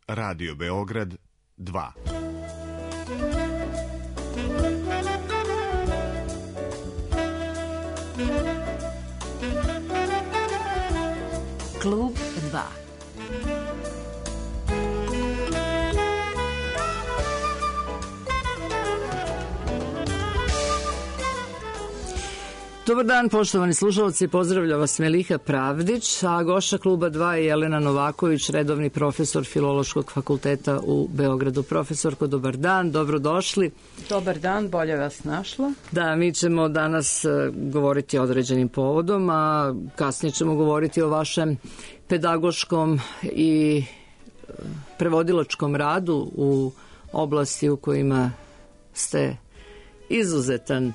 Radio Beograd 2. Klub 2. Dobar dan, poštovani slušalci, pozdravlja vas Meliha Pravdić, a gošća Kluba 2 je Jelena Novaković, redovni profesor Filološkog fakulteta u Beogradu. Profesorko, dobar dan, dobrodošli. Dobar dan, bolje vas našla. Da, mi ćemo danas govoriti o određenim povodom, a kasnije ćemo govoriti o vašem pedagoškom i prevodilačkom radu u oblasti u kojima ste izuzetan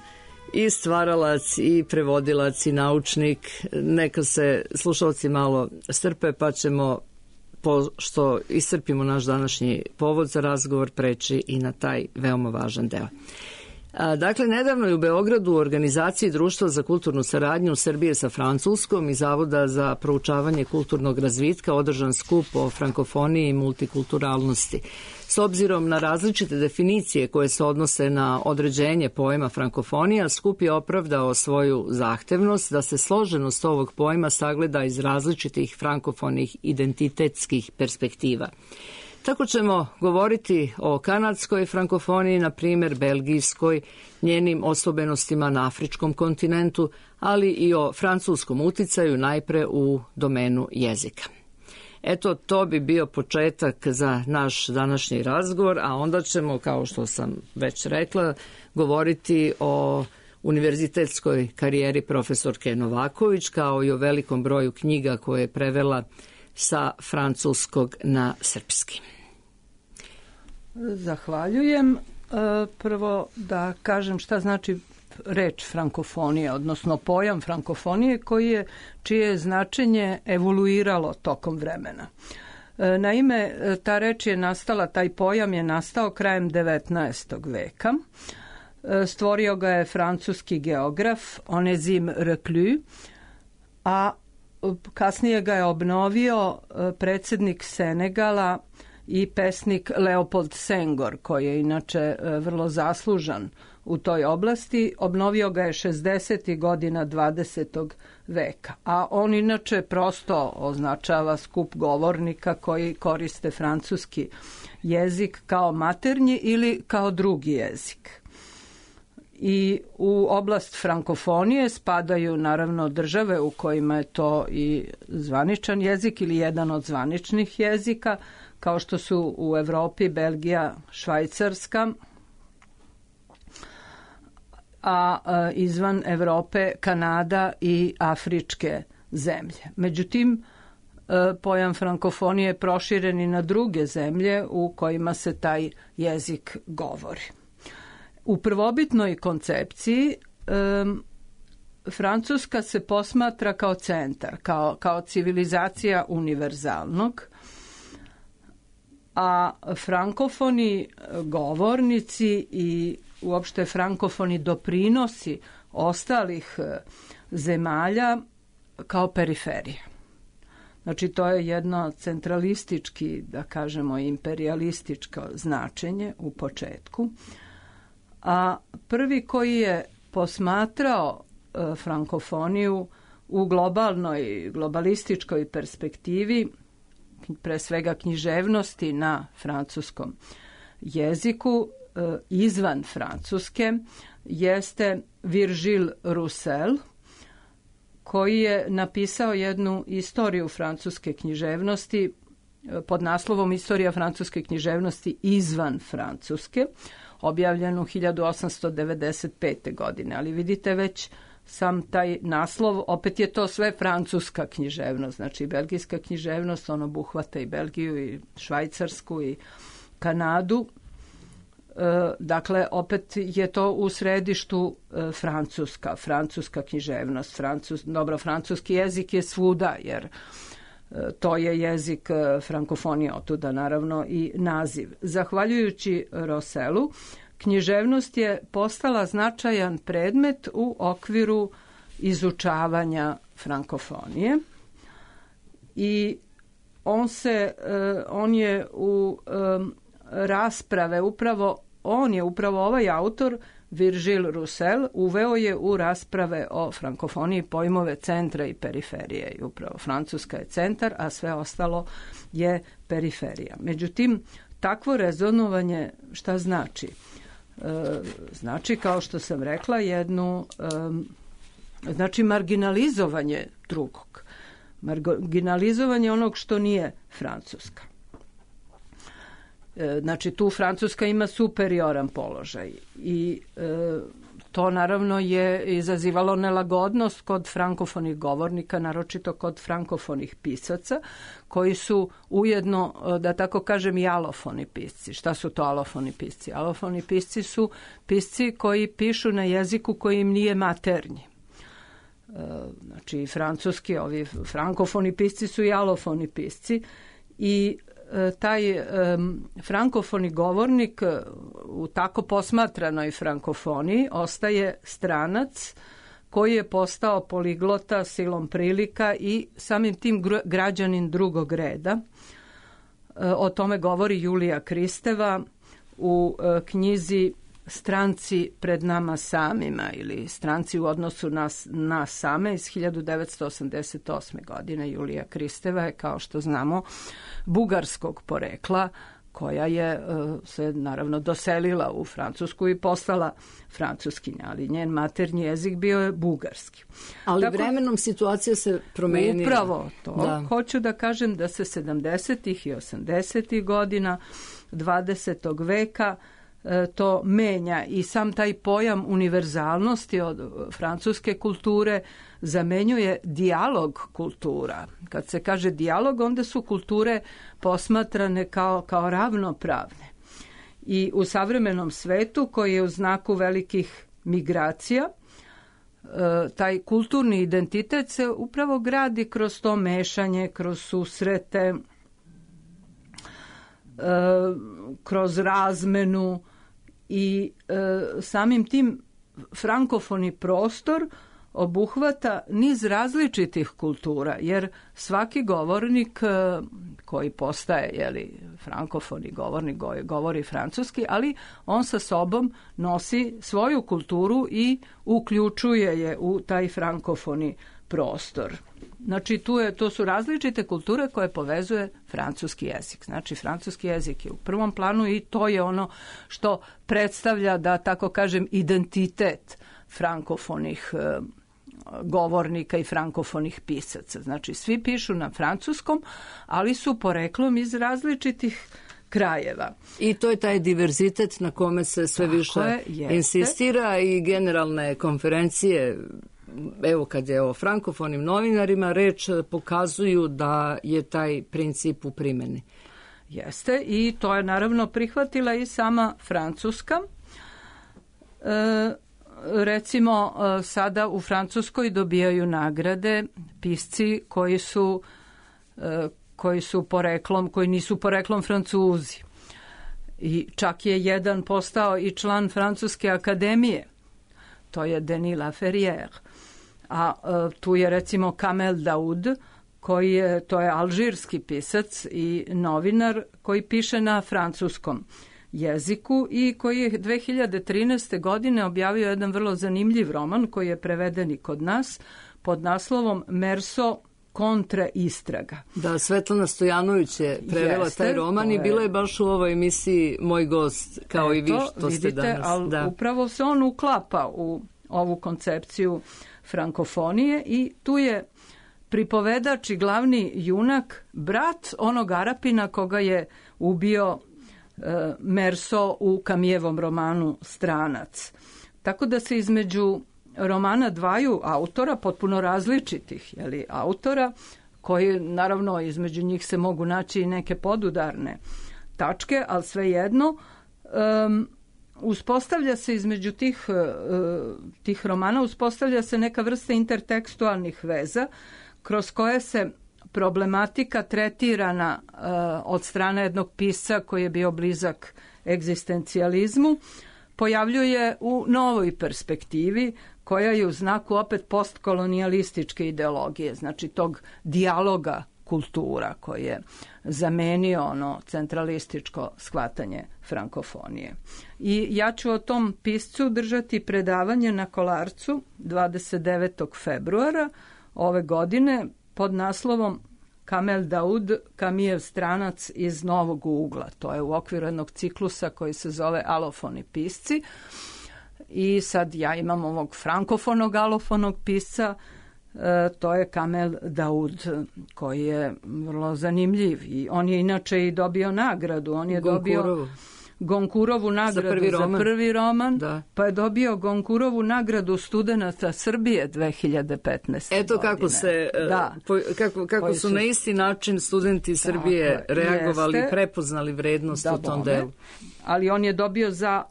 i stvaralac, i prevodilac, i naučnik. Neka se slušalci malo strpe, pa ćemo, pošto iscrpimo naš današnji povod za razgovor, preći i na taj veoma važan deo. Dakle, nedavno je u Beogradu u organizaciji Društva za kulturnu saradnju Srbije sa Francuskom i Zavoda za proučavanje kulturnog razvitka održan skup o frankofoniji i multikulturalnosti. S obzirom na različite definicije koje se odnose na određenje pojma frankofonija, skup je opravdao svoju zahtevnost da se složenost ovog pojma sagleda iz različitih frankofonih identitetskih perspektiva. Tako ćemo govoriti o kanadskoj frankofoniji, na primjer belgijskoj, njenim osobenostima na afričkom kontinentu, ali i o francuskom uticaju najpre u domenu jezika. Eto, to bi bio početak za naš današnji razgovor, a onda ćemo, kao što sam već rekla, govoriti o univerzitetskoj karijeri profesorke Novaković, kao i o velikom broju knjiga koje je prevela sa francuskog na srpski. Zahvaljujem. Prvo da kažem šta znači reč frankofonija, odnosno pojam frankofonije čije je značenje evoluiralo tokom vremena. Naime, ta reč je nastala, taj pojam je nastao krajem 19. veka. Stvorio ga je francuski geograf Onésime Reclus, a kasnije ga je obnovio predsjednik Senegala i pesnik Leopold Senghor, koji je inače vrlo zaslužan u toj oblasti. Obnovio ga je 60. godina 20. veka, a on inače prosto označava skup govornika koji koriste francuski jezik kao maternji ili kao drugi jezik. I u oblast frankofonije spadaju naravno države u kojima je to i zvaničan jezik ili jedan od zvaničnih jezika, kao što su u Evropi Belgija, Švajcarska, a izvan Evrope Kanada i afričke zemlje. Međutim, pojam frankofonije je proširen i na druge zemlje u kojima se taj jezik govori. U prvobitnoj koncepciji Francuska se posmatra kao centar, kao civilizacija univerzalnog, a frankofoni govornici i uopšte frankofoni doprinosi ostalih zemalja kao periferija. Znači, to je jedno centralistički, da kažemo, imperialističko značenje u početku. A prvi koji je posmatrao frankofoniju u globalističkoj perspektivi, pre svega književnosti na francuskom jeziku, izvan Francuske, jeste Virgile Roussel, koji je napisao jednu istoriju francuske književnosti pod naslovom Istorija francuske književnosti izvan Francuske, objavljenu 1895. godine. Ali vidite već sam taj naslov, opet je to sve francuska književnost, znači belgijska književnost, on obuhvata i Belgiju i Švajcarsku i Kanadu. Dakle, opet je to u središtu francuska književnost. Francuski jezik je svuda, jer to je jezik frankofonije, otuda naravno i naziv. Zahvaljujući Rousseelu, književnost je postala značajan predmet u okviru izučavanja frankofonije i on je u rasprave upravo ovaj autor Virgil Roussel uveo je u rasprave o frankofoniji pojmove centra i periferije. I upravo Francuska je centar, a sve ostalo je periferija. Međutim, takvo rezonovanje šta znači? Znači, kao što sam rekla, znači marginalizovanje drugog. Marginalizovanje onog što nije Francuska. Znači, tu Francuska ima superioran položaj i to naravno je izazivalo nelagodnost kod frankofonih govornika, naročito kod frankofonih pisaca, koji su ujedno, da tako kažem, i alofoni pisci. Šta su to alofoni pisci? Alofoni pisci su pisci koji pišu na jeziku koji im nije maternji. Znači, francuski, ovi frankofoni pisci su i alofoni pisci i taj frankofoni govornik u tako posmatranoj frankofoniji ostaje stranac koji je postao poliglota silom prilika i samim tim građanin drugog reda. O tome govori Julija Kristeva u knjizi Stranci pred nama samima ili Stranci u odnosu na same iz 1988. godine. Julija Kristeva je, kao što znamo, bugarskog porekla, koja je se naravno doselila u Francusku i postala francuskinja, ali njen maternji jezik bio je bugarski. Ali vremenom situacija se promenila. Upravo to. Hoću da kažem da se 70. i 80. godina 20. veka to menja i sam taj pojam univerzalnosti od francuske kulture zamenjuje dijalog kultura. Kad se kaže dijalog, onda su kulture posmatrane kao ravnopravne. I u savremenom svetu, koji je u znaku velikih migracija, taj kulturni identitet se upravo gradi kroz to mešanje, kroz susrete, kroz razmenu i samim tim frankofoni prostor obuhvata niz različitih kultura, jer svaki govornik koji postaje frankofoni govornik, govori francuski, ali on sa sobom nosi svoju kulturu i uključuje je u taj frankofoni prostor. Znači, to su različite kulture koje povezuje francuski jezik. Znači, francuski jezik je u prvom planu i to je ono što predstavlja, da tako kažem, identitet frankofonih govornika i frankofonih pisaca. Znači, svi pišu na francuskom, ali su poreklom iz različitih krajeva. I to je taj diverzitet na kome se sve više insistira i generalne konferencije, evo kad je o frankofonim novinarima reč, pokazuju da je taj princip u primjeni. Jeste, i to je naravno prihvatila i sama Francuska. Recimo, sada u Francuskoj dobijaju nagrade pisci koji nisu poreklom Francuzi. I čak je jedan postao i član Francuske akademije. To je Denis Laferrière. A tu je recimo Kamel Daoud, to je alžirski pisac i novinar koji piše na francuskom jeziku i koji je 2013. godine objavio jedan vrlo zanimljiv roman koji je preveden i kod nas pod naslovom Merso kontra istraga. Da, Svetlana Stojanović je prevela taj roman i bila je baš u ovoj emisiji moj gost, kao i vi što ste danas. Ali upravo se on uklapa u ovu koncepciju frankofonije i tu je pripovedač i glavni junak brat onog Arapina koga je ubio Merso u Kamijevom romanu Stranac. Tako da se između romana dvaju autora, potpuno različitih autora, koji naravno između njih se mogu naći i neke podudarne tačke, ali svejedno uspostavlja se između tih romana uspostavlja se neka vrsta intertekstualnih veza kroz koje se problematika tretirana od strane jednog pisca koji je bio blizak egzistencijalizmu pojavljuje u novoj perspektivi koja je u znaku opet postkolonijalističke ideologije, znači tog dijaloga kultura, koji je zamenio ono centralističko shvatanje frankofonije. I ja ću o tom piscu držati predavanje na Kolarcu 29. februara ove godine pod naslovom Kamel Daud, Kamijev stranac iz novog ugla. To je u okviru jednog ciklusa koji se zove Alofoni pisci. I sad ja imam ovog frankofonog alofonog pisca, to je Kamel Daud, koji je vrlo zanimljiv. I on je inače i dobio nagradu. On je dobio Gonkurovu nagradu za prvi roman, pa je dobio Gonkurovu nagradu studenata Srbije 2015. Eto kako se kako su na isti način studenti Srbije reagovali i prepoznali vrednost u tom delu. Ali on je dobio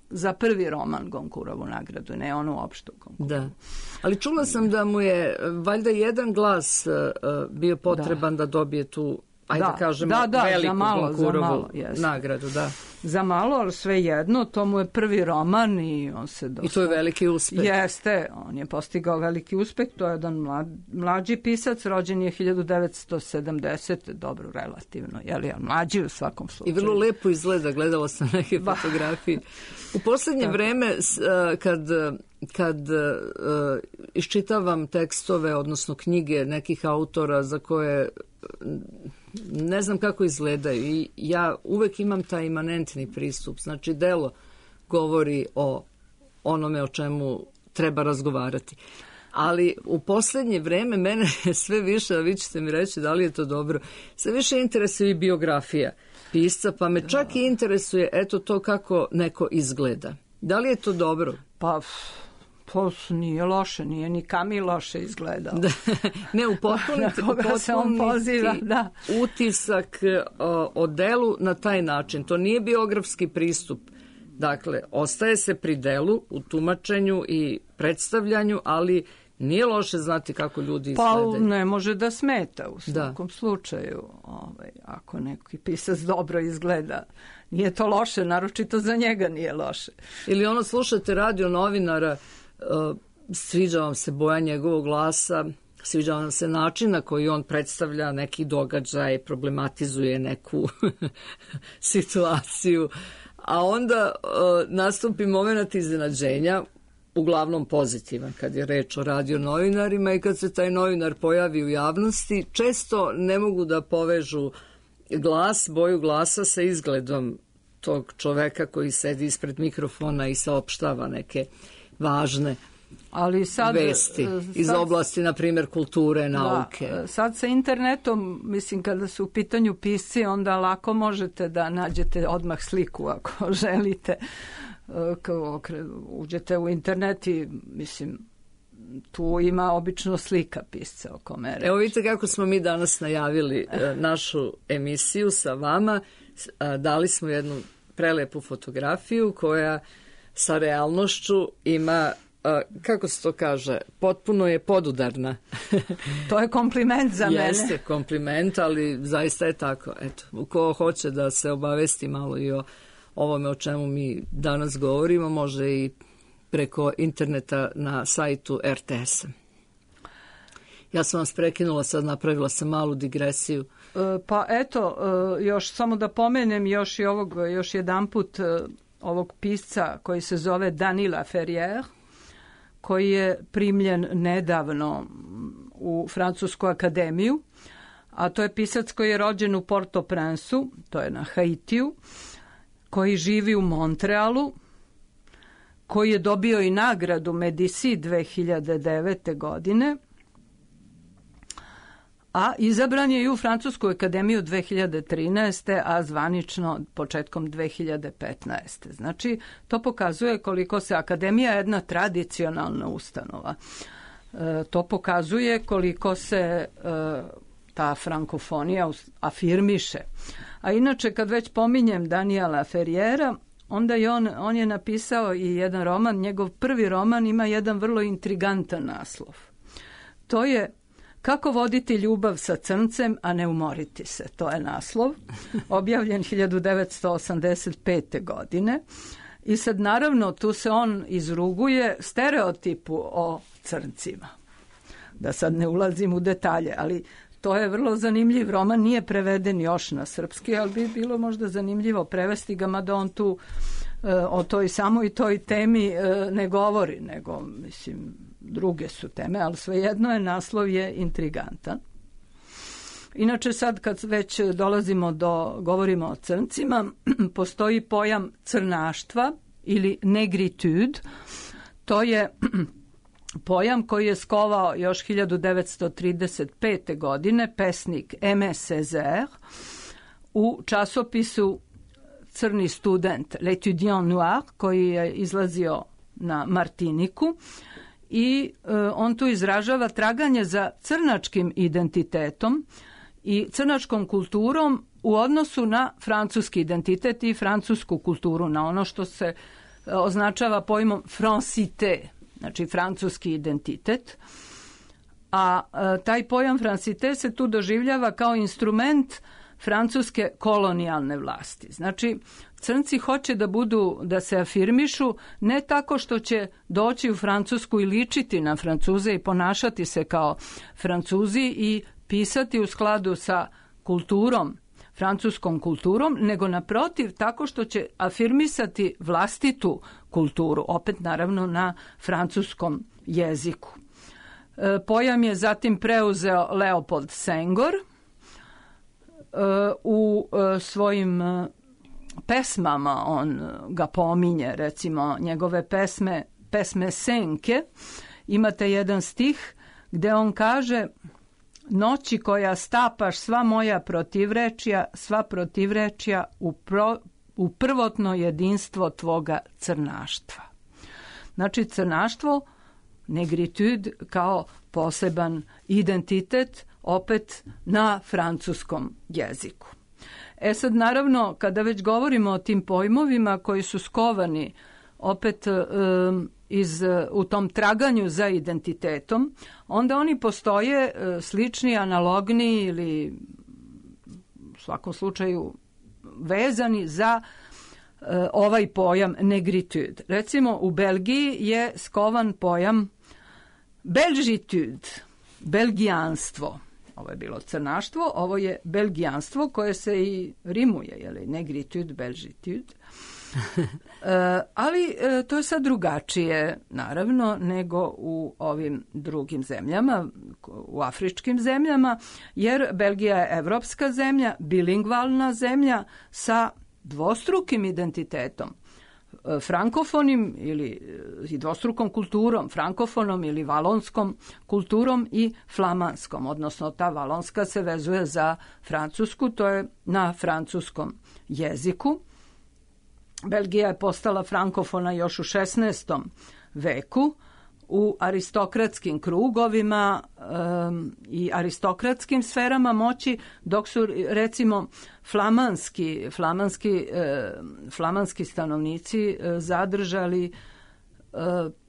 za prvi roman Gonkurovu nagradu, ne onu opštu Gonkurovu. Da. Ali čula sam da mu je valjda jedan glas bio potreban da dobije tu, ajde kažemo, veliku Gonkurovu nagradu. Da. Za malo, ali sve jedno, to mu je prvi roman i on se dosta... I to je veliki uspeh. Jeste, on je postigao veliki uspeh, to je jedan mlađi pisac, rođen je 1970, dobro, relativno, mlađi u svakom slučaju. I vrlo lepo izgleda, gledala sam neke fotografije. U poslednje vreme, kad iščitavam tekstove, odnosno knjige nekih autora za koje ne znam kako izgledaju i ja uvek imam taj imanentni pristup, znači delo govori o onome o čemu treba razgovarati. Ali u poslednje vreme mene sve više, a vi ćete mi reći da li je to dobro, sve više interesuje i biografija pisca, pa me čak i interesuje eto to kako neko izgleda. Da li je to dobro? Pa nije loše, nije ni Kamil loše izgledao. Ne, u potpuniti utisak o delu na taj način. To nije biografski pristup. Dakle, ostaje se pri delu, u tumačenju i predstavljanju, ali nije loše znati kako ljudi izgledaju. Pa ne može da smeta u svakom slučaju. Ako neki pisac dobro izgleda, nije to loše, naročito za njega nije loše. Ili slušate radio novinara, sviđa vam se boja njegovog glasa, sviđa vam se način na koji on predstavlja neki događaj, problematizuje neku situaciju, a onda nastupi moment iznenađenja, uglavnom pozitivan kad je reč o radio novinarima i kad se taj novinar pojavi u javnosti, često ne mogu da povežu boju glasa sa izgledom tog čoveka koji sedi ispred mikrofona i saopštava neke važne vesti iz oblasti, na primjer, kulture, nauke. Sad sa internetom, mislim, kada su u pitanju pisci, onda lako možete da nađete odmah sliku ako želite. Uđete u internet i, mislim, tu ima obično slika pisca o kome reći. Evo vidite kako smo mi danas najavili našu emisiju sa vama. Dali smo jednu prelepu fotografiju koja sa realnošću ima, kako se to kaže, potpuno je podudarna. To je kompliment za mene. Jeste kompliment, ali zaista je tako. Eto, ko hoće da se obavesti malo i o ovome o čemu mi danas govorimo, može i preko interneta na sajtu RTS-a. Ja sam vas prekinula, sad napravila sam malu digresiju. Pa eto, još samo da pomenem još jedan put ovog pisca koji se zove Denis Laferrière, koji je primljen nedavno u Francusku akademiju, a to je pisac koji je rođen u Port-au-Prince-u, to je na Haitiju, koji živi u Montrealu, koji je dobio i nagradu Medici 2009. godine, a izabran je i u Francusku akademiju 2013. a zvanično početkom 2015. Znači, to pokazuje koliko se akademija jedna tradicionalna ustanova. To pokazuje koliko se ta frankofonija afirmiše. A inače, kad već pominjem Denisa Laferrièra, onda on je napisao i jedan roman, njegov prvi roman ima jedan vrlo intrigantan naslov. To je Kako voditi ljubav sa crncem, a ne umoriti se. To je naslov, objavljen 1985. godine. I sad naravno tu se on izruguje stereotipu o crncima. Da sad ne ulazim u detalje, ali to je vrlo zanimljiv roman, nije preveden još na srpski, ali bi bilo možda zanimljivo prevesti ga, mada on tu o toj samoj toj temi ne govori, nego, mislim, druge su teme, ali svejedno je, naslov je intrigantan. Inače, sad kad već govorimo o crncima, postoji pojam crnaštva ili negritude. To je pojam koji je skovao još 1935. godine pesnik Aimé Césaire u časopisu Crni student, L'Étudiant Noir, koji je izlazio na Martiniku, i on tu izražava traganje za crnačkim identitetom i crnačkom kulturom u odnosu na francuski identitet i francusku kulturu, na ono što se označava pojmom francité, znači francuski identitet. A taj pojam francité se tu doživljava kao instrument francuske kolonijalne vlasti. Znači, crnci hoće da se afirmišu ne tako što će doći u Francusku i ličiti na Francuze i ponašati se kao Francuzi i pisati u skladu sa kulturom, francuskom kulturom, nego naprotiv tako što će afirmisati vlastitu kulturu, opet naravno na francuskom jeziku. Pojam je zatim preuzeo Leopold Senghor u svojim pesmama, on ga pominje, recimo njegove pesme Senke. Imate jedan stih gde on kaže: noći koja stapaš sva moja protivrečja, sva protivrečja u prvotno jedinstvo tvoga crnaštva. Znači, crnaštvo, negritude kao poseban identitet, opet na francuskom jeziku. Sad, naravno, kada već govorimo o tim pojmovima koji su skovani opet u tom traganju za identitetom, onda oni postoje slični, analogni ili u svakom slučaju vezani za ovaj pojam negritude. Recimo, u Belgiji je skovan pojam belgitude, belgijanstvo. Ovo je bilo crnaštvo, ovo je belgijanstvo koje se i rimuje, jeli, negritude, belgitude. Ali to je sad drugačije, naravno, nego u ovim drugim zemljama, u afričkim zemljama, jer Belgija je evropska zemlja, bilingvalna zemlja sa dvostrukim identitetom. Frankofonim ili dvostrukom kulturom, frankofonom ili valonskom kulturom i flamanskom, odnosno ta valonska se vezuje za francusku, to je na francuskom jeziku. Belgija je postala frankofona još u 16. veku u aristokratskim krugovima i aristokratskim sferama moći, dok su, recimo, flamanski stanovnici zadržali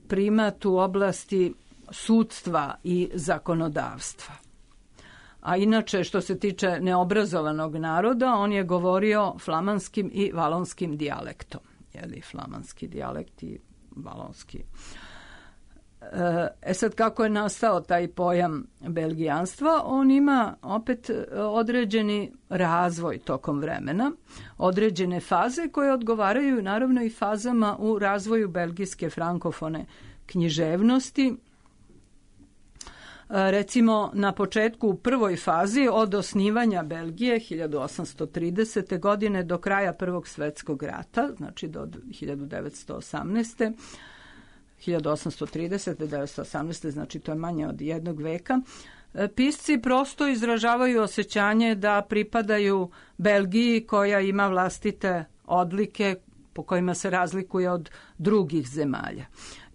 primat u oblasti sudstva i zakonodavstva. A inače, što se tiče neobrazovanog naroda, on je govorio flamanskim i valonskim dijalektom. Jeli, flamanski dijalekt i valonski. Sad, kako je nastao taj pojam belgijanstva? On ima opet određeni razvoj tokom vremena, određene faze koje odgovaraju naravno i fazama u razvoju belgijske frankofone književnosti. Recimo, na početku, u prvoj fazi od osnivanja Belgije 1830. godine do kraja Prvog svjetskog rata, znači do 1918. 1830. 1918. znači to je manje od jednog veka, pisci prosto izražavaju osjećanje da pripadaju Belgiji koja ima vlastite odlike po kojima se razlikuje od drugih zemalja.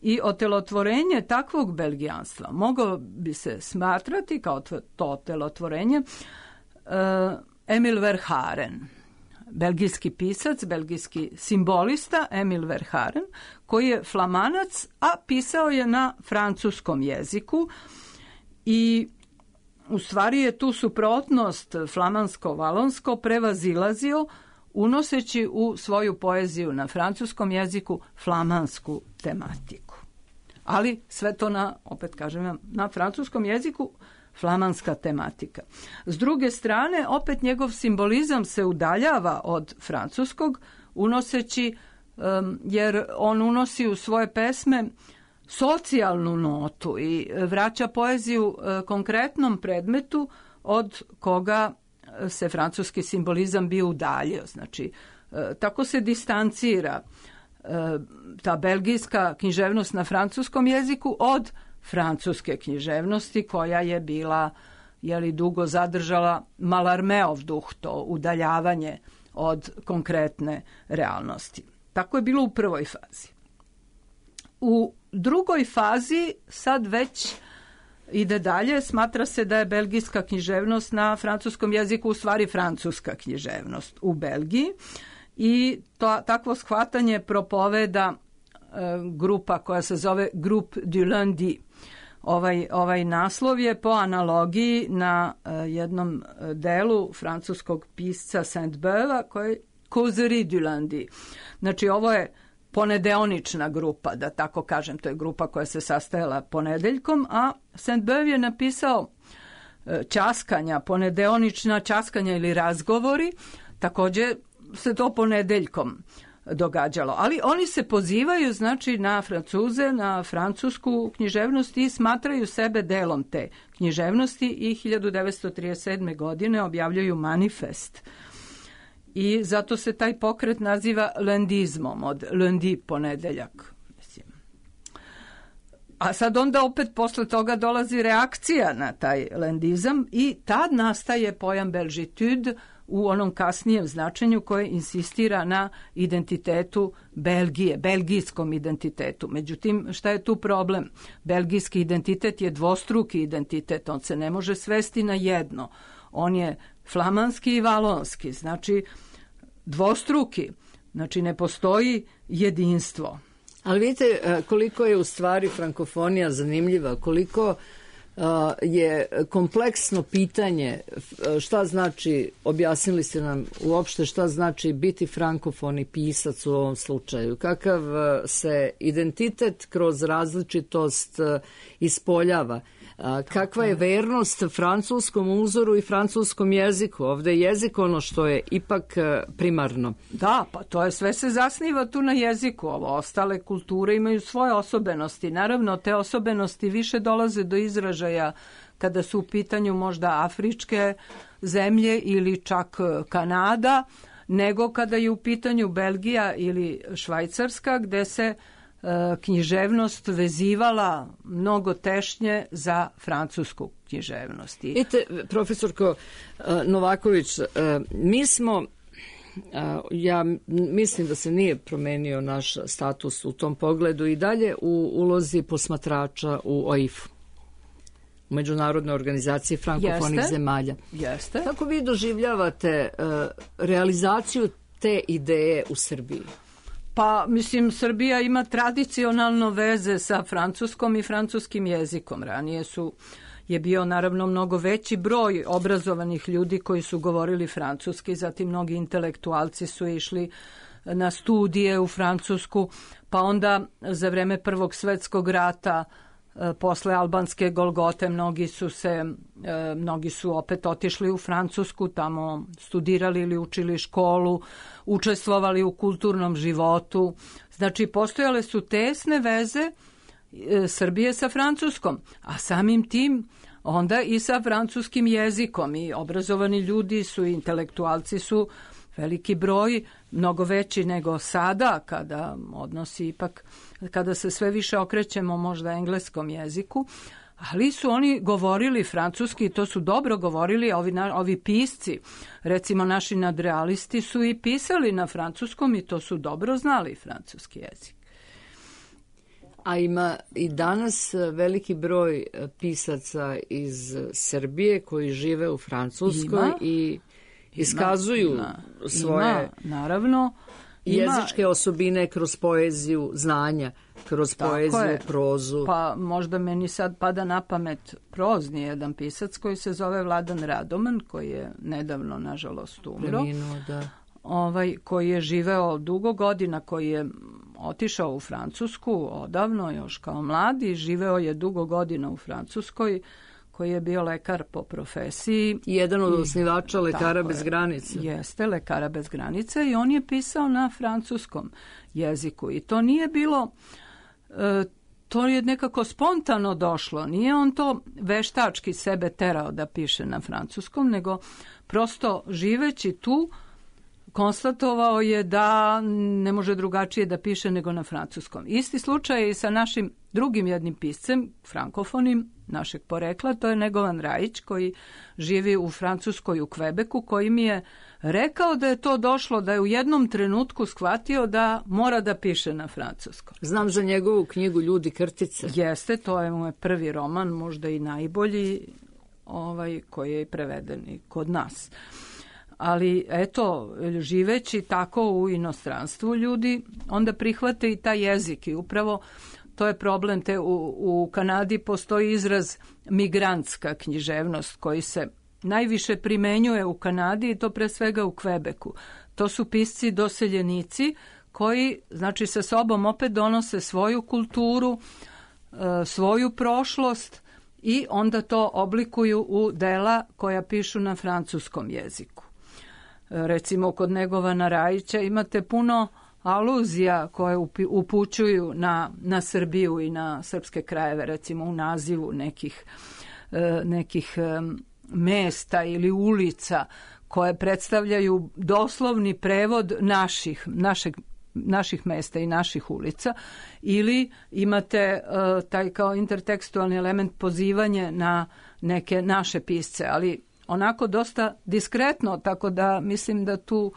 I otelotvorenje takvog belgijanstva moglo bi se smatrati kao to otelotvorenje Emil Verhaeren, belgijski pisac, belgijski simbolista Emil Verhaeren, koji je flamanac, a pisao je na francuskom jeziku i u stvari je tu suprotnost flamansko-valonsko prevazilazio unoseći u svoju poeziju na francuskom jeziku flamansku tematiku. Ali sve to opet kažem vam, na francuskom jeziku flamanska tematika. S druge strane, opet njegov simbolizam se udaljava od francuskog, unoseći, jer on unosi u svoje pesme socijalnu notu i vraća poeziju konkretnom predmetu od koga se francuski simbolizam bio udaljio. Znači, tako se distancira ta belgijska književnost na francuskom jeziku od francuske književnosti koja je bila, dugo zadržala Mallarméov duh, to udaljavanje od konkretne realnosti. Tako je bilo u prvoj fazi. U drugoj fazi sad već ide dalje, smatra se da je belgijska književnost na francuskom jeziku u stvari francuska književnost u Belgiji i takvo shvatanje propoveda grupa koja se zove Groupe du Lundi. Ovaj naslov je po analogiji na jednom delu francuskog pisca Sainte-Beuve koji je Causerie du Lundi. Znači ovo je ponedeonična grupa, da tako kažem, to je grupa koja se sastajala ponedeljkom, a Sainte-Beuve je napisao ćaskanja, ponedeonična ćaskanja ili razgovori, također se to ponedeljkom događalo. Ali oni se pozivaju, znači, na Francuze, na francusku književnost i smatraju sebe delom te književnosti i 1937. godine objavljuju manifest. I zato se taj pokret naziva lendizmom, od lundi ponedeljak. A sad onda opet posle toga dolazi reakcija na taj lendizam i tad nastaje pojam belgitude u onom kasnijem značenju koje insistira na identitetu Belgije, belgijskom identitetu. Međutim, šta je tu problem? Belgijski identitet je dvostruki identitet, on se ne može svesti na jedno. On je flamanski i valonski, znači dvostruki, znači ne postoji jedinstvo. Ali vidite koliko je u stvari frankofonija zanimljiva, koliko je kompleksno pitanje šta znači, objasnili ste nam uopšte šta znači biti frankofoni pisac u ovom slučaju, kakav se identitet kroz različitost ispoljava, kakva je vernost francuskom uzoru i francuskom jeziku. Ovde je jezik ono što je ipak primarno. Da, pa to je sve se zasniva tu na jeziku. Ovo ostale kulture imaju svoje osobenosti. Naravno, te osobenosti više dolaze do izražaja kada su u pitanju možda afričke zemlje ili čak Kanada, nego kada je u pitanju Belgija ili Švajcarska, gde se književnost vezivala mnogo tešnje za francusku književnost. Vidite, profesorko Novaković, mi smo, ja mislim da se nije promenio naš status u tom pogledu i dalje u ulozi posmatrača u OIF-u, u Međunarodnoj organizaciji frankofonih zemalja. Jeste. Kako vi doživljavate realizaciju te ideje u Srbiji? Pa, mislim, Srbija ima tradicionalno veze sa francuskom i francuskim jezikom. Ranije je bio naravno mnogo veći broj obrazovanih ljudi koji su govorili francuski, zatim mnogi intelektualci su išli na studije u Francusku, pa onda za vreme Prvog svetskog rata, posle albanske Golgote, mnogi su opet otišli u Francusku, tamo studirali ili učili školu, učestvovali u kulturnom životu. Znači, postojale su tesne veze Srbije sa Francuskom, a samim tim onda i sa francuskim jezikom. I obrazovani ljudi su, intelektualci su veliki broj, mnogo veći nego sada, kada odnosi ipak, kada se sve više okrećemo možda engleskom jeziku, ali su oni govorili francuski i to su dobro govorili, ovi pisci, recimo naši nadrealisti su i pisali na francuskom i to su dobro znali francuski jezik. A ima i danas veliki broj pisaca iz Srbije koji žive u Francuskoj i iskazuju svoje naravno, jezičke osobine kroz poeziju znanja, kroz poeziju, prozu. Pa možda meni sad pada na pamet prozni jedan pisac koji se zove Vladan Radoman, koji je nedavno, nažalost, umro. Preminuo, da. Koji je živeo dugo godina, koji je otišao u Francusku odavno, još kao mladi, živeo je dugo godina u Francuskoj, koji je bio lekar po profesiji. Jedan od osnivača Lekara bez granica. Jeste, Lekara bez granica, i on je pisao na francuskom jeziku. I to nije bilo, to je nekako spontano došlo. Nije on to veštački sebe terao da piše na francuskom, nego prosto živeći tu konstatovao je da ne može drugačije da piše nego na francuskom. Isti slučaj je i sa našim drugim jednim piscem, frankofonim, našeg porekla, to je Negovan Rajić, koji živi u Francuskoj, u Kvebeku, koji mi je rekao da je to došlo, da je u jednom trenutku shvatio da mora da piše na francuskom. Znam za njegovu knjigu Ljudi krtice. Jeste, to je moj prvi roman, možda i najbolji, koji je preveden i kod nas. Ali eto, živeći tako u inostranstvu, ljudi onda prihvate i taj jezik i upravo to je problem. U Kanadi postoji izraz migrantska književnost koji se najviše primenjuje u Kanadi i to pre svega u Kvebeku. To su pisci doseljenici koji, znači, sa sobom opet donose svoju kulturu, svoju prošlost i onda to oblikuju u dela koja pišu na francuskom jeziku. Recimo, kod Negovana Rajića imate puno aluzija koje upućuju na Srbiju i na srpske krajeve, recimo u nazivu nekih mesta ili ulica koje predstavljaju doslovni prevod naših mesta i naših ulica, ili imate taj kao intertekstualni element pozivanje na neke naše pisce, ali onako dosta diskretno, tako da mislim da tu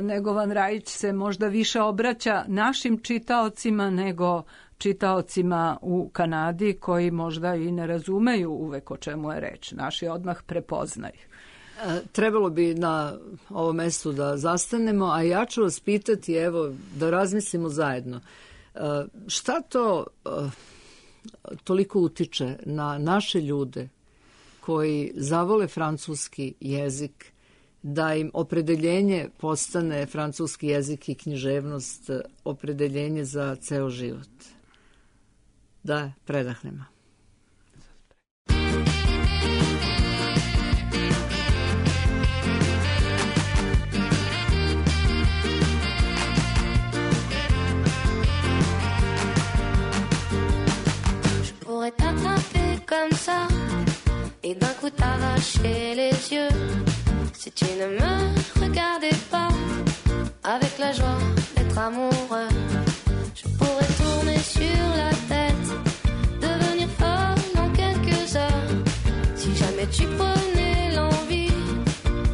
Negovan Rajić se možda više obraća našim čitaocima nego čitaocima u Kanadi, koji možda i ne razumeju uvek o čemu je reč. Naši odmah prepoznaju. Trebalo bi na ovom mestu da zastanemo, a ja ću vas pitati, evo, da razmislimo zajedno. Šta to toliko utiče na naše ljude koji zavole francuski jezik, da im opredeljenje postane francuski jezik i književnost opredeljenje za ceo život? Da predahnemo. Je pourrais t'attraper comme ça et d'un coup t'arracher les yeux si tu ne me regardais pas avec la joie d'être amoureux. Je pourrais tourner sur la tête, devenir folle en quelques heures si jamais tu prenais l'envie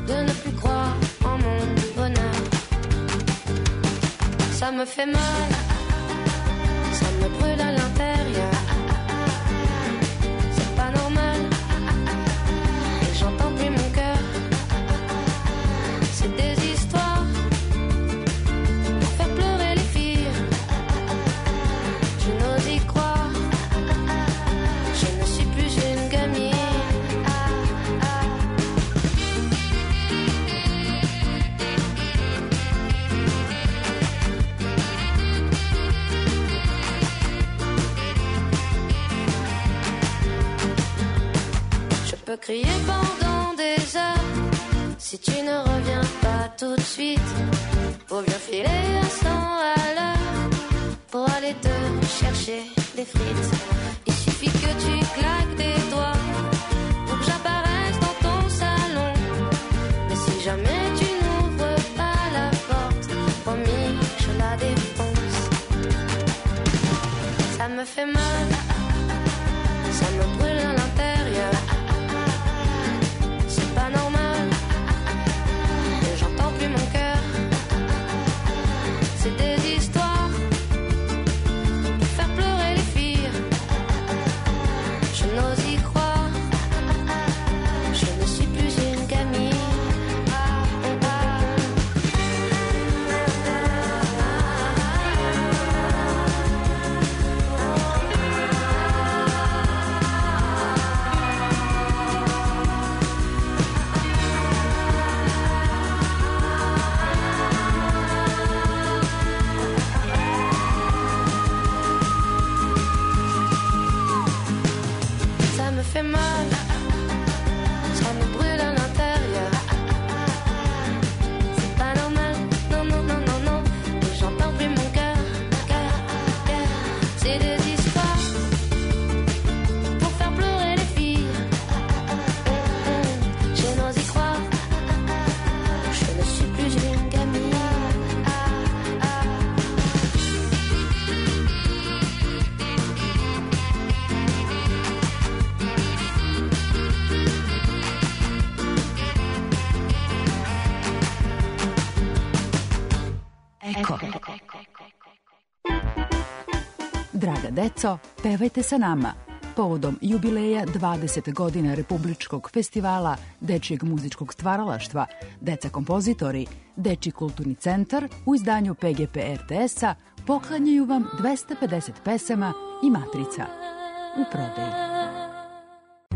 de ne plus croire en mon bonheur. Ça me fait mal, ça me brûle à l'intérieur. C'est pas normal, et j'entends plus mon cœur. C'est des histoires pour faire pleurer les filles. Je n'ose y croire, je ne suis plus une gamine. Je peux crier pendant des heures si tu ne reviens pas tout de suite. Faut bien filer à 100 à l'heure pour aller te chercher des frites. Il suffit que tu claques des doigts pour que j'apparaisse dans ton salon. Mais si jamais tu n'ouvres pas la porte, promis, je la défonce. Ça me fait mal, ça me brûle à l'intérieur. C'est pas normal, et j'entends plus mon cœur. C'est des histoires pour faire pleurer les filles. Je n'ose y croire, je ne suis plus une gamine. Eko. Draga deco, pevajte sa nama. Povodom jubileja 20 godina Republičkog festivala Dečijeg muzičkog stvaralaštva Deca kompozitori, Dečiji kulturni centar u izdanju PGP RTS-a poklanjaju vam 250 pesama i matrica u prodaji.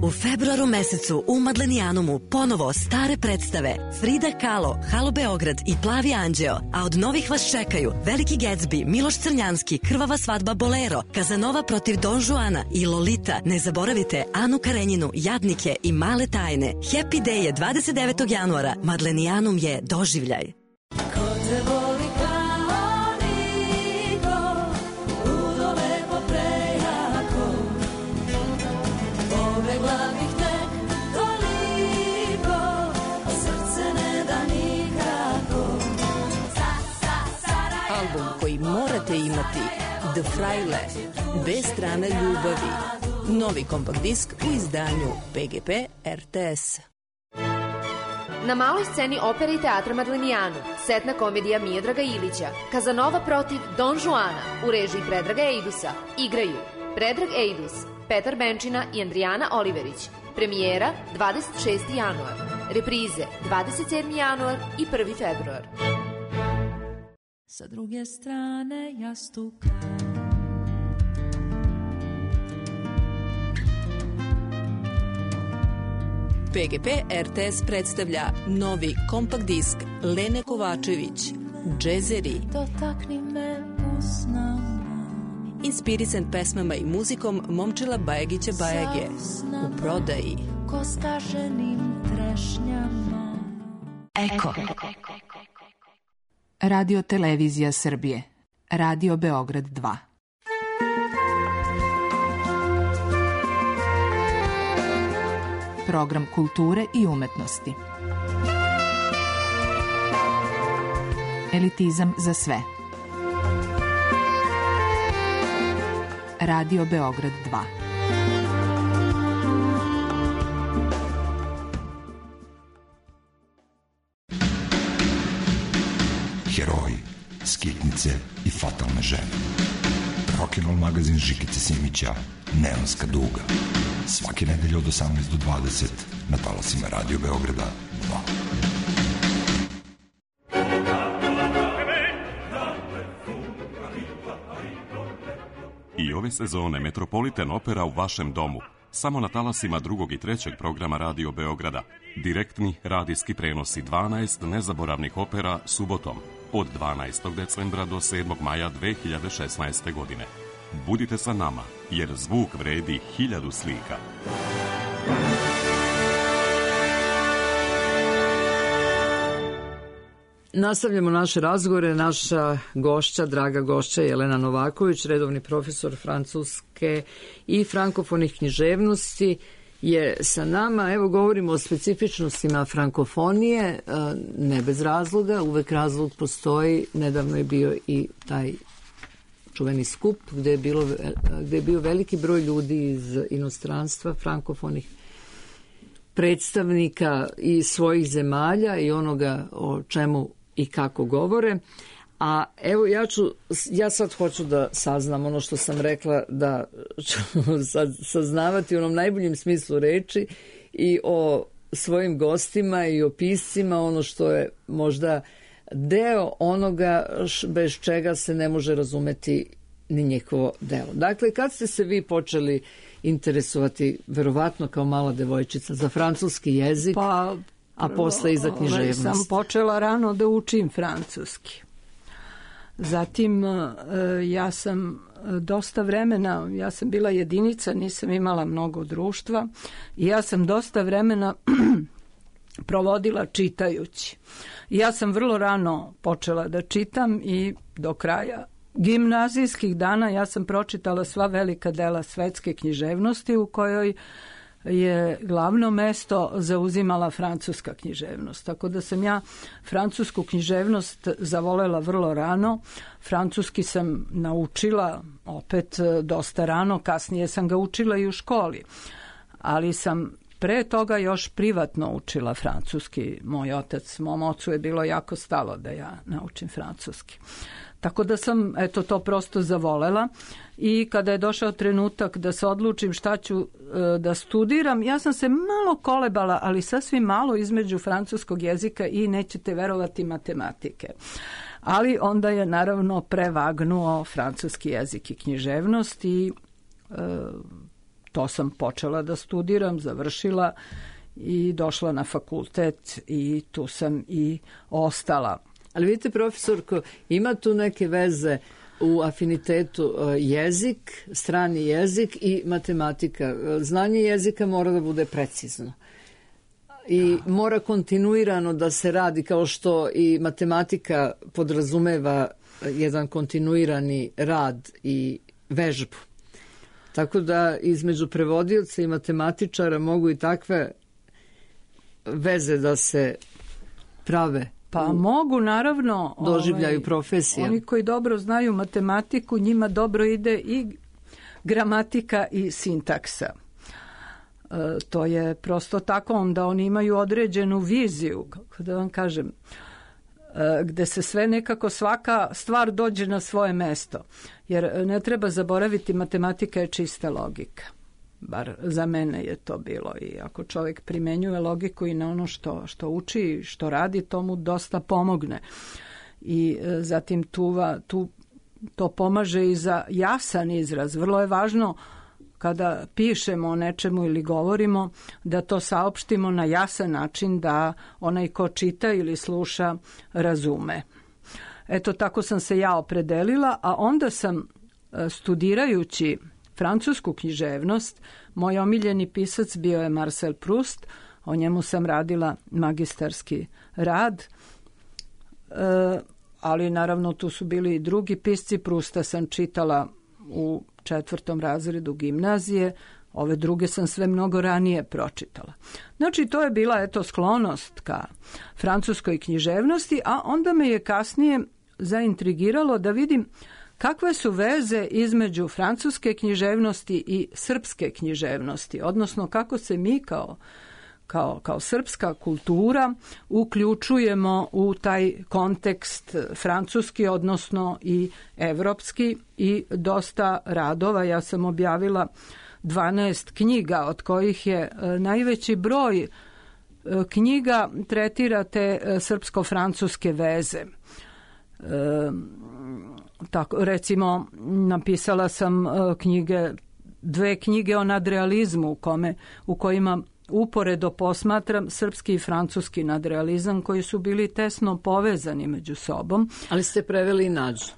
U februaru mesecu u Madlenijanumu ponovo stare predstave Frida Kahlo, Halo Beograd i Plavi anđeo, a od novih vas čekaju Veliki Gatsby, Miloš Crnjanski, Krvava svadba Bolero, Kazanova protiv Don Juana i Lolita. Ne zaboravite Anu Karenjinu, Jadnike i Male tajne. Happy Day je 29. januara. Madlenijanum je doživljaj. Ko te voli kao niko, ludo lepo prejako, pobegla bih tek toliko, a srce ne da nikako. Album koji morate imati, The Fraile, dve strane ljubavi. Novi kompakt disk u izdanju PGP RTS. Na maloj sceni opere i teatra Madlenijanum, setna komedija Miodraga Ilića, Kazanova protiv Don Juana u režiji Predraga Ejdusa. Igraju Predrag Ejdus, Petar Benčina i Andrijana Oliverić. Premijera 26. januar. Reprize 27. januar i 1. februar. Sa druge strane jastuka, PGP RTS predstavlja novi kompakt disk Lene Kovačević, Džezeri, dotakni me usnama, inspirisan pesmama i muzikom Momčila Bajagića Bajage, u prodaji. ko skaženim trešnjama. Eko. Radio Televizija Srbije. Radio Beograd 2. Program kulture i umetnosti. Elitizam za sve. Radio Beograd 2. Heroji, skitnice i fatalne žene. Rock'n'roll magazin Žikice Simića, Neonska duga. Svake nedelje od 18 do 20 na talasima Radio Beograda 2. I ove sezone Metropolitan Opera u vašem domu. Samo na talasima drugog i trećeg programa Radio Beograda. Direktni radijski prenosi 12 nezaboravnih opera subotom od 12. decembra do 7. maja 2016. godine. Budite sa nama, jer zvuk vredi 1000 slika. Nastavljamo naše razgovore. Naša gošća, draga gošća Jelena Novaković, redovni profesor francuske i frankofonih književnosti, je sa nama. Evo, govorimo o specifičnostima frankofonije, ne bez razloga, uvek razlog postoji. Nedavno je bio i taj čuveni skup gde je bio veliki broj ljudi iz inostranstva, frankofonih predstavnika i svojih zemalja i onoga o čemu i kako govore. A evo, ja sad hoću da saznam ono što sam rekla, da ću saznavati u onom najboljem smislu reči i o svojim gostima i o piscima, ono što je možda deo onoga bez čega se ne može razumeti ni njihovo delo. Dakle, kad ste se vi počeli interesovati, verovatno kao mala devojčica, za francuski jezik, a posle i za književnost? Sam počela rano da učim francuski. Zatim ja sam dosta vremena, ja sam bila jedinica, nisam imala mnogo društva i ja sam dosta vremena provodila čitajući. Ja sam vrlo rano počela da čitam i do kraja gimnazijskih dana ja sam pročitala sva velika dela svetske književnosti, u kojoj je glavno mesto zauzimala francuska književnost. Tako da sam ja francusku književnost zavolela vrlo rano. Francuski sam naučila opet dosta rano, kasnije sam ga učila i u školi. Ali sam pre toga još privatno učila francuski. Mom ocu je bilo jako stalo da ja naučim francuski. Tako da sam to prosto zavolela i kada je došao trenutak da se odlučim šta ću da studiram, ja sam se malo kolebala, ali sasvim malo između francuskog jezika i, nećete verovati, matematike. Ali onda je naravno prevagnuo francuski jezik i književnost i to sam počela da studiram, završila i došla na fakultet i tu sam i ostala. Ali vidite, profesorko, ima tu neke veze u afinitetu jezik, strani jezik i matematika. Znanje jezika mora da bude precizno i mora kontinuirano da se radi, kao što i matematika podrazumeva jedan kontinuirani rad i vežbu. Tako da između prevodioca i matematičara mogu i takve veze da se prave. Pa mogu, naravno. Doživljaju profesija. Oni koji dobro znaju matematiku, njima dobro ide i gramatika i sintaksa. To je prosto tako, onda oni imaju određenu viziju, kako da vam kažem, gde se sve nekako, svaka stvar dođe na svoje mesto. Jer ne treba zaboraviti, matematika je čista logika. Bar za mene je to bilo, i ako čovjek primenjuje logiku i na ono što uči, što radi, to mu dosta pomogne. I zatim to pomaže i za jasan izraz. Vrlo je važno kada pišemo o nečemu ili govorimo da to saopštimo na jasan način, da onaj ko čita ili sluša razume. Eto, tako sam se ja opredelila, a onda sam, studirajući francusku književnost, moj omiljeni pisac bio je Marcel Proust, o njemu sam radila magistarski rad, ali naravno tu su bili i drugi pisci. Prousta sam čitala u 4. razredu gimnazije, ove druge sam sve mnogo ranije pročitala. Znači, to je bila sklonost ka francuskoj književnosti, a onda me je kasnije zaintrigiralo da vidim kakve su veze između francuske književnosti i srpske književnosti, odnosno kako se mi kao srpska kultura uključujemo u taj kontekst francuski, odnosno i evropski, i dosta radova. Ja sam objavila 12 knjiga, od kojih je najveći broj knjiga tretira te srpsko-francuske veze. Tako, recimo, napisala sam dve knjige o nadrealizmu u kojima uporedo posmatram srpski i francuski nadrealizam, koji su bili tesno povezani među sobom. Ali ste preveli i Nađu?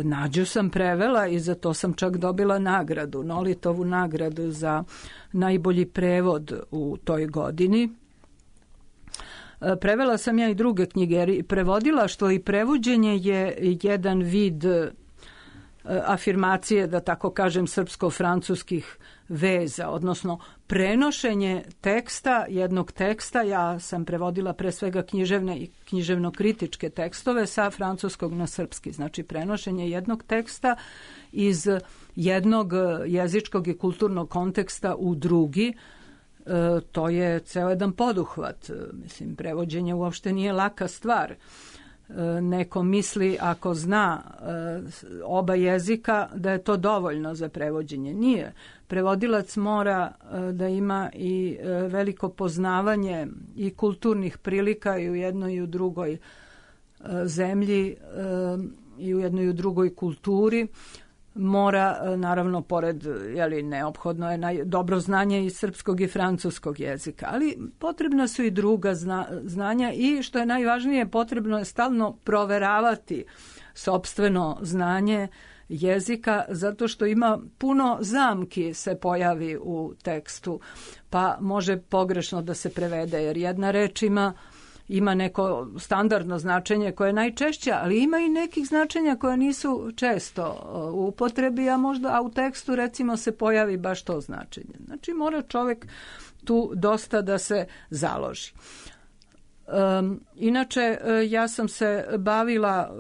Nađu sam prevela i za to sam čak dobila nagradu, Nolitovu nagradu za najbolji prevod u toj godini. Prevela sam ja i druge knjige, jer prevodila, što i prevođenje je jedan vid afirmacije, da tako kažem, srpsko-francuskih veza, odnosno prenošenje teksta, jednog teksta. Ja sam prevodila pre svega književne i književno-kritičke tekstove sa francuskog na srpski. Znači, prenošenje jednog teksta iz jednog jezičkog i kulturnog konteksta u drugi. To je ceo jedan poduhvat. Mislim, prevođenje uopšte nije laka stvar. Neko misli, ako zna oba jezika, da je to dovoljno za prevođenje. Nije. Prevodilac mora da ima i veliko poznavanje i kulturnih prilika i u jednoj i u drugoj zemlji i u jednoj i u drugoj kulturi. Mora, naravno, pored, neophodno je dobro znanje i srpskog i francuskog jezika, ali potrebna su i druga znanja, i što je najvažnije, potrebno je stalno proveravati sopstveno znanje jezika, zato što ima puno zamki se pojavi u tekstu, pa može pogrešno da se prevede, jer jedna reč ima neko standardno značenje koje je najčešće, ali ima i nekih značenja koja nisu često u upotrebi, a u tekstu recimo se pojavi baš to značenje. Znači, mora čovjek tu dosta da se založi. Inače, ja sam se bavila,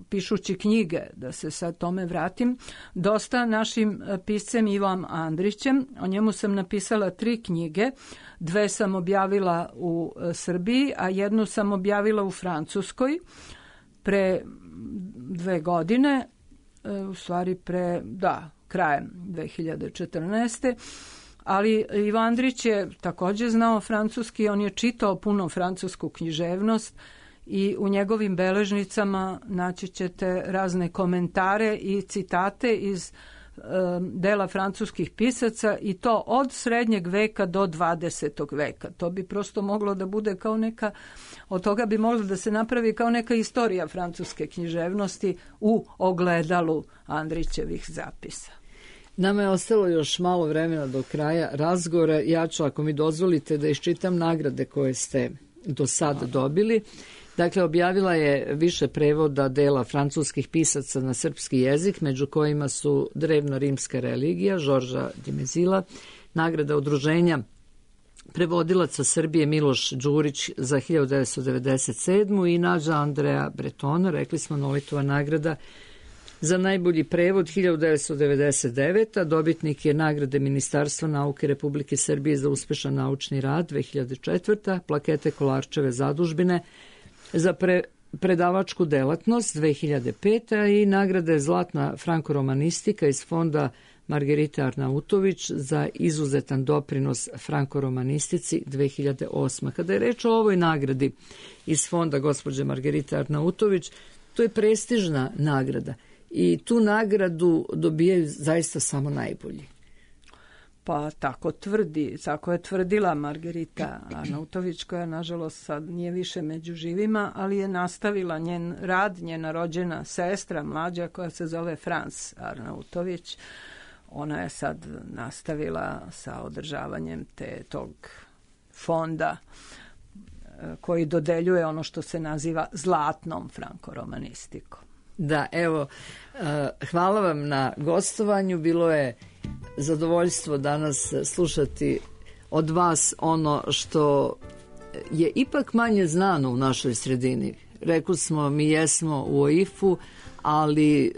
pišući knjige, da se sad tome vratim, dosta našim piscem Ivom Andrićem. O njemu sam napisala 3 knjige. 2 sam objavila u Srbiji, a 1 sam objavila u Francuskoj pre 2 godine, u stvari krajem 2014. Ali Ivo Andrić je također znao francuski, on je čitao puno francusku književnost i u njegovim beležnicama naći ćete razne komentare i citate iz dela francuskih pisaca i to od srednjeg veka do 20. veka. To bi prosto moglo da bude kao neka, od toga bi moglo da se napravi kao neka istorija francuske književnosti u ogledalu Andrićevih zapisa. Nama je ostalo još malo vremena do kraja razgovora. Ja ću, ako mi dozvolite, da iščitam nagrade koje ste do sada dobili. Dakle, objavila je više prevoda dela francuskih pisaca na srpski jezik, među kojima su Drevno-rimska religija, Žorža Dimezila, nagrada udruženja prevodilaca Srbije Miloš Đurić za 1997. i Nađa Andreja Bretona, rekli smo, Nolitova nagrada za najbolji prevod 1999. Dobitnik je nagrade Ministarstva nauke Republike Srbije za uspešan naučni rad 2004. Plakete Kolarčeve zadužbine za predavačku delatnost 2005. i nagrade Zlatna frankoromanistika iz fonda Margerite Arnautović za izuzetan doprinos frankoromanistici 2008. Kada je reč o ovoj nagradi iz fonda gospođe Margerite Arnautović, to je prestižna nagrada i tu nagradu dobijaju zaista samo najbolji. Pa tako je tvrdila Margerita Arnautović, koja nažalost sad nije više među živima, ali je nastavila njen rad, njena rođena sestra mlađa koja se zove Frans Arnautović. Ona je sad nastavila sa održavanjem tog fonda koji dodeljuje ono što se naziva zlatnom frankoromanistikom. Da, evo, hvala vam na gostovanju. Bilo je zadovoljstvo danas slušati od vas ono što je ipak manje znano u našoj sredini. Rekli smo, mi jesmo u OIF-u, ali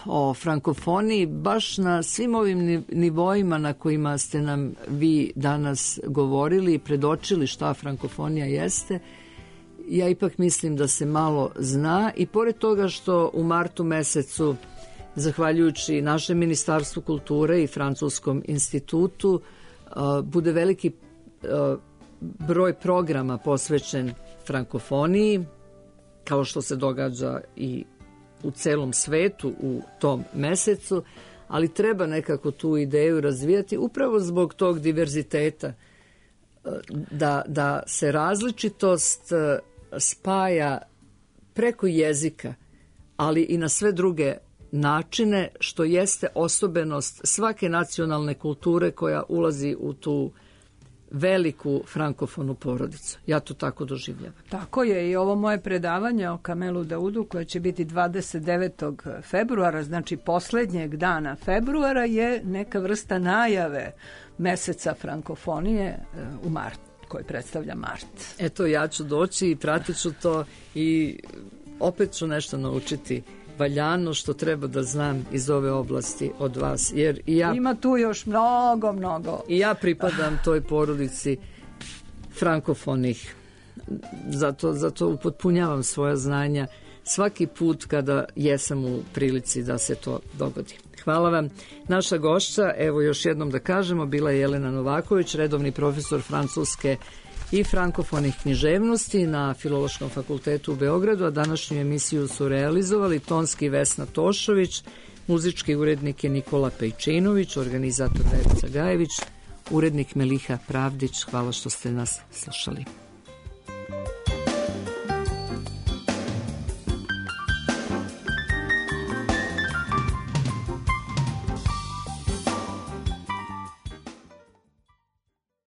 o frankofoniji baš na svim ovim nivoima na kojima ste nam vi danas govorili i predočili šta frankofonija jeste, ja ipak mislim da se malo zna i pored toga što u martu mesecu, zahvaljujući našem Ministarstvu kulture i Francuskom institutu, bude veliki broj programa posvećen frankofoniji, kao što se događa i u celom svetu u tom mesecu, ali treba nekako tu ideju razvijati upravo zbog tog diverziteta, da se različitost spaja preko jezika, ali i na sve druge načine, što jeste osobenost svake nacionalne kulture koja ulazi u tu veliku frankofonu porodicu. Ja to tako doživljavam. Tako je i ovo moje predavanje o Kamelu Daudu, koje će biti 29. februara, znači poslednjeg dana februara, je neka vrsta najave meseca frankofonije u martu, koji predstavlja mart. Eto, ja ću doći i pratit ću to i opet ću nešto naučiti valjano što treba da znam iz ove oblasti od vas. Jer i ja, ima tu još mnogo. I ja pripadam toj porodici frankofonih. Zato upotpunjavam svoja znanja svaki put kada jesam u prilici da se to dogodi. Hvala vam. Naša gošća, evo još jednom da kažemo, bila je Jelena Novaković, redovni profesor francuske i frankofonih književnosti na Filološkom fakultetu u Beogradu, a današnju emisiju su realizovali tonski Vesna Tošović, muzički urednik je Nikola Pejčinović, organizator Verica Gajević, urednik Meliha Pravdić. Hvala što ste nas slušali.